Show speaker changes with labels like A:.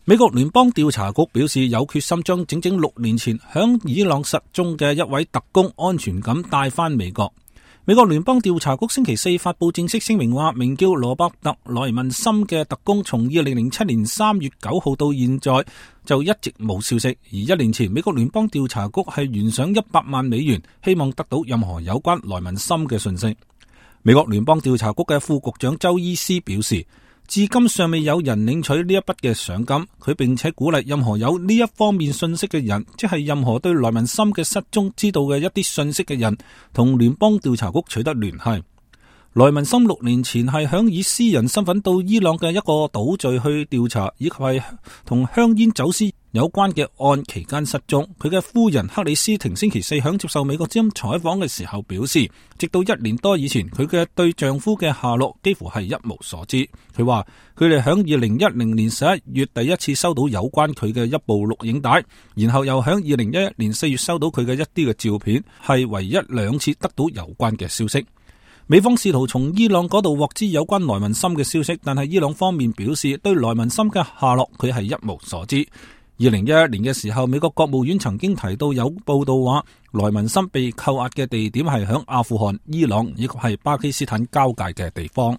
A: 美國聯邦調查局表示有決心將整整6年前響伊朗失蹤嘅一位特工安全咁帶返美國。美國聯邦調查局星期四發佈正式聲明話，名叫羅伯特·萊文森嘅特工從2007年3月9號到現在就一直冇消息。而1年前，美國聯邦調查局係懸賞100萬美元，希望得到任何有關萊文森嘅信息。美國聯邦調查局嘅副局長周伊斯表示，至今尚未有人領取呢一筆嘅賞金，佢並且鼓勵任何有呢一方面信息嘅人，即係任何對萊文森嘅失蹤知道嘅一啲信息嘅人，同聯邦調查局取得聯繫。萊文森6年前係響以私人身份到伊朗嘅一個島嶼去調查，以及係同香煙走私有關嘅案期間失蹤。佢嘅夫人克里斯廷星期四響接受美國之音採訪嘅時候表示，直到1年多以前，佢嘅對丈夫嘅下落幾乎係一無所知。佢話佢哋響2010年11月第一次收到有關佢嘅一部錄影帶，然後又響2011年4月收到佢嘅一啲嘅照片，係唯一2次得到有關嘅消息。美方試圖從伊朗嗰度獲知有關萊文森嘅消息，但係伊朗方面表示對萊文森嘅下落佢係一無所知。2011年嘅時候，美國國務院曾經提到有報道話，萊文森被扣押嘅地點係響阿富汗、伊朗以及係巴基斯坦交界嘅地方。